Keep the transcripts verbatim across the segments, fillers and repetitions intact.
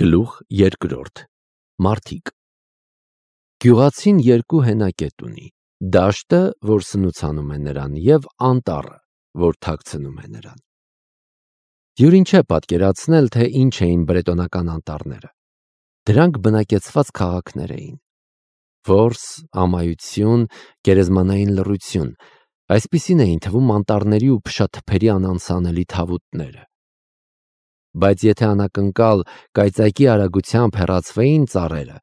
Գլուխ երկրորդ Մարդիկ Գյուղացին երկու հենակետ ունի, դաշտը, որ սնուցանում է նրան, և անտառը, որ թաքցնում է նրան։ Դյուրին չէ պատկերացնել, թե ինչ էին բրետոնական անտառները։ Դրանք բնակեցված քաղաքներ էին։ Որս, ամայություն, գերեզմանային լռություն, այսպիսին էին թվում անտառների ու փշաթփերի անանցանելի թավուտները։ Բայց եթե անակնկալ կայծակի արագությամբ հեռացվեին ծառերը,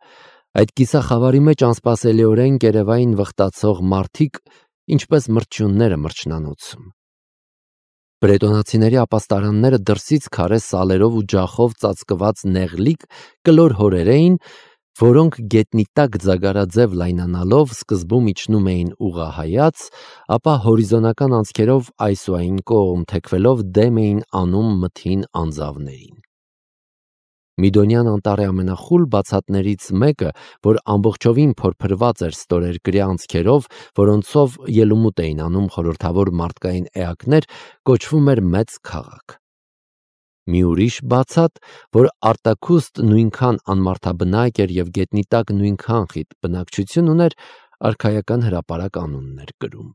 այդ կիսախավարի մեջ անսպասելիորեն կերևային վխտացող մարդիկ, ինչպես մրջյունները մրջնանոցում։ Բրետոնացիների ապաստարանները դրսից քարե սալերով ու ջախով ծածկված նեղլիկ կլոր հորեր էին, որոնք գետնի տակ ձագարաձև լայնանալով սկզբում իջնում էին ուղղահայաց, ապա հորիզոնական անցքերով այս ու այն կողմ թեքվելով դեմ էին անում մթին անձավներին։ Միդոնյան անտառի ամենախուլ բացատներից մեկը, որ ամբողջովին փորփրված էր ստորերկրյա անցքերով, որոնցով ելումուտ էին անում խորհրդավոր մարդկային էակներ, կոչվում էր Մեծ քաղաք։ Մի ուրիշ բացատ, որ արտաքուստ նույնքան անմարդաբնակ էր և գետնի տակ նույնքան խիտ բնակչություն ուներ, արքայական հրապարակ անունն էր կրում։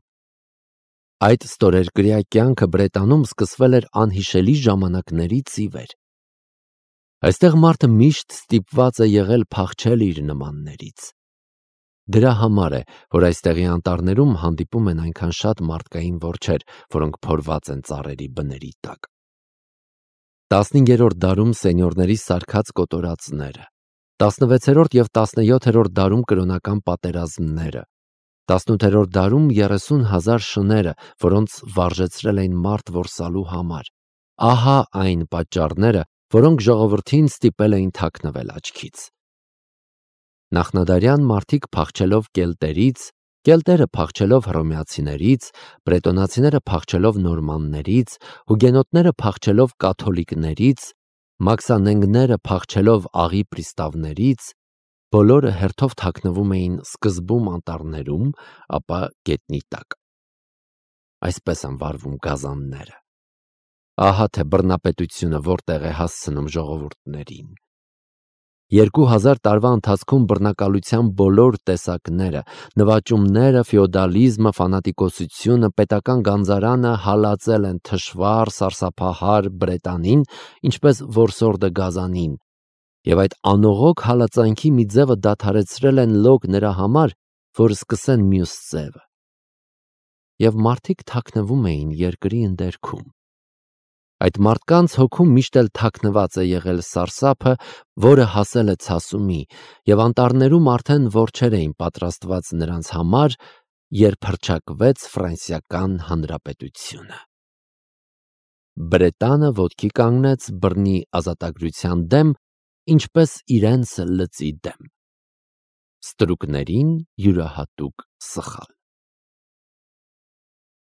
Այդ ստորերկրյա կյանքը Բրետանում սկսվել էր անհիշելի ժամանակներից ի վեր։ Այստեղ մարդը միշտ ստիպված է եղել փախչել իր նմաններից։ Դրա համար է, որ այստեղի անտառներում հանդիպում են այնքան շատ մարդկային որջեր, որոնք փորված են ծառերի բների տակ։ Տասնհինգերորդ դարում սենյորների սարքած կոտորածները, տասնվեցերորդ և տասնյոթերորդ դարում կրոնական պատերազմները, տասնութերորդ դարում երեսուն հազար շները, որոնց վարժեցրել էին մարդ որսալու համար։ Ահա այն պատճառները, որոնք ժողովրդին ստիպել էին թաքնվել աչքից։ Նախնադարյան մարդիկ փախչելով կելտերից, կելտերը փախչելով հռոմեացիներից, բրետոնացիները փախչելով նորմաններից, հուգենոտները փախչելով կաթոլիկներից, մաքսանենգները փախչելով աղի պրիստավներից, բոլորը հերթով թաքնվում էին սկզբում անտառներում, ապա գետնի տակ։ Այսպես են վարվում գազանները։ Ահա թե բռնապետությունը որտեղ է հասցնում ժողովուրդներին։ Երկու հազար տարվա ընթացքում բռնակալության բոլոր տեսակները, նվաճումները, ֆեոդալիզմը, ֆանատիկոսությունը, պետական գանձարանը հալածել են թշվառ, սարսափահար Բրետանին, ինչպես որսորդը գազանին, և այդ անողոք հալածանքի մի ձևը դադարեցրել են լոկ նրա համար, որ սկսեն մյուս ձևը։ Եվ մարդիկ թաքնվում էին երկրի ընդերքում։ Այդ մարդկանց հոգում միշտ էլ թաքնված է եղել սարսափը, որը հասել է ցասումի, և անտառներում արդեն որջեր էին պատրաստված նրանց համար, երբ հռչակվեց Ֆրանսիական Հանրապետությունը։ Բրետանը ոտքի կանգնեց բռնի ազատագրության դեմ, ինչպես իրենց լծի դեմ։ Ստրուկներին յուրահատուկ սխալ։